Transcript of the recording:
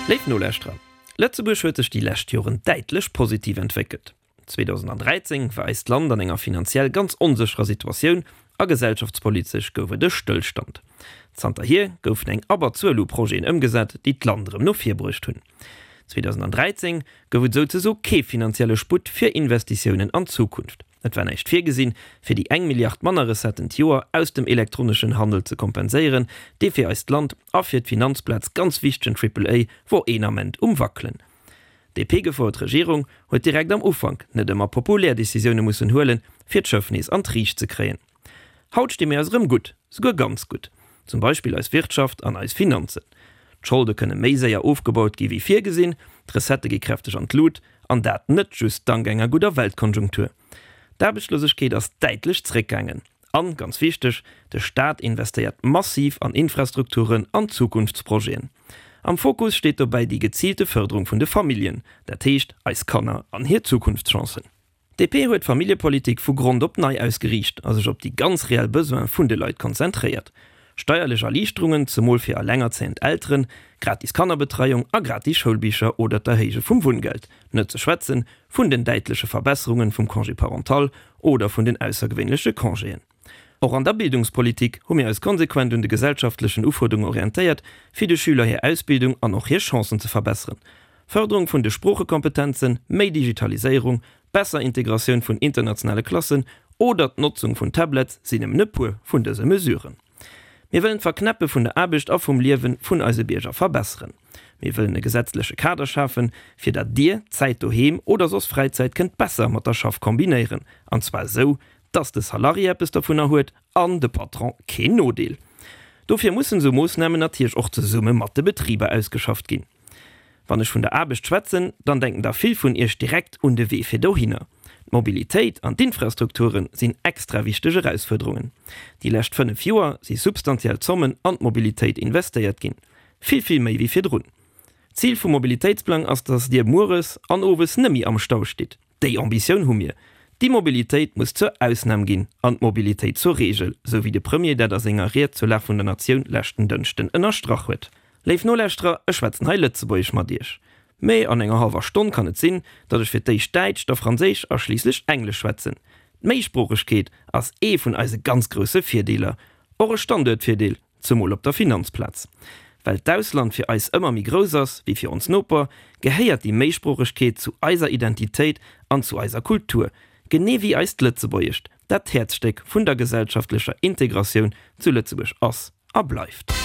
Léif Nolauschterer, Lëtzebuerg huet sech déi lescht Joren däitlech positiv entwéckelt. 2013 war eist Land an enger finanziell ganz onsécherer Situatioun a gesellschaftspolitesch gouf et e Stëllstand. Zanterhier goufen eng Abberzuel u Projeten ëmgesat, déi d'Land erëm no vir bruecht hunn. 2013 gouf et souzeso kee finanzielle Sputt fir Investitiounen an d'Zukunft. Et war näischt virgesinn, fir déi eng Milliard manner Recetten d'Joer aus dem elektroneschen Handel ze kompenséieren, dee fir eist Land a fir d'Finanzplaz ganz wichtegen Triple A wor een Ament um Wackelen. D'DP-gefouert Regierung huet direkt am Ufank net ëmmer populär Decisioune mussen huelen, fir d'Schëff nees an d'Riicht ze kréien. Haut sti mir eis erëm gutt, souguer ganz gutt. Zum Beispill eis Wirtschaft an eis Finanzen. D'Scholde kënne méi séier ofgebaut gi wéi virgesinn, d'Recettë gi kräfteg an d'Lut, an dat net just dank enger gudder Weltkonjunktur. D'Aarbechtslosegkeet ass däitlech zréckgaangen. An, ganz wichteg, de Staat investéiert massiv an Infrastrukturen an Zukunftsprojeten. Am Fokus steet dobäi déi geziilte Fërderung vun de Familljen, dat heescht eis Kanner an hir Zukunftschancen. DP huet d'Familljepolitik vu Grond op nei ausgeriicht a sech op déi ganz reell Besoine vun de Leit konzentréiert. Steierlech Erliichterungen, zemol fir allengerzéiend Elteren, gratis Kannerbetreiung a gratis Schoulbicher oder d'Erhéije vum Wunngeld, net ze schwätzen vun den däitleche Verbesserungen vum Congé parental oder vun den aussergewéinleche Congéen. Och an der Bildungspolitik hu mir eis konsequent un de gesellschaftlechen Ufuerderungen orientéiert, fir de Schüler hir Ausbildung an och hir Chancen ze verbesseren. Fërderung vun de Sproochekompetenzen, méi Digitaliséierung, besser Integratioun vun internationale Klassen oder d'Notzung vun Tablets sinn nëmmen e puer vun dëse Mesuren. Mir wëllen d'Verknäppe vun der Aarbecht a vum Liewe vun eise Bierger verbesseren. Mir wëllen e gesetzleche Kader schafen, fir datt Dir d'Zäit doheem oder soss Fräizäit kënnt besser mat der Schaff kombinéieren, an zwar esou, datt de Salarié eppes dovunner huet an de Patron keen Nodeel. Dofir mussen esou Moossnamen natierlech och zesumme mat de Betriber ausgeschafft ginn. Wann ech vun der Aarbecht schwätzen, dann denken der vill vun Iech direkt un de Wee fir dohinner. D'Mobilitéit an d'Infrastrukture sinn extra wichteg Erausfuerderungen. Déi lescht 5 Joer si substantiell Zommen an d'Mobilitéit investéiert ginn, vill, vill méi wéi virdrun. D'Zil vum Mobilitéitsplang ass, dass Dir mueres an owes nëmmi am Stau stitt. Déi Ambitioun hu mir. D'Immobilitéit muss zur Ausnam ginn an d'Mobilitéit zur Reegel, sou wéi de Premier dat a senger Ried zur Lag vun der Natioun leschten Dënschden ënnerstrach huet. Léif Nolauschterer, ech schwätzen hei Lëtzebuergesch mat Iech, mee an enger hallwer Stonn kann et sinn, datt ech fir d'éischt Däitsch, da Franséisch a schliisslech Englesch schwätzen. D'Méisproochegkeet ass ee vun eise ganz grousse Virdeeler, och e Standuertvirdeel. Zemol op der Finanzplaz. Well d'Ausland fir eis ëmmer méi grouss ass wéi fir ons Noper, gehéiert déi Méisproochegkeet zu eiser Identitéit an zu eiser Kultur, genee wéi eist Lëtzebuergescht, dat d'Häerzstéck vun der gesellschaftlecher Integratioun zu Lëtzebuerg ass a bleift.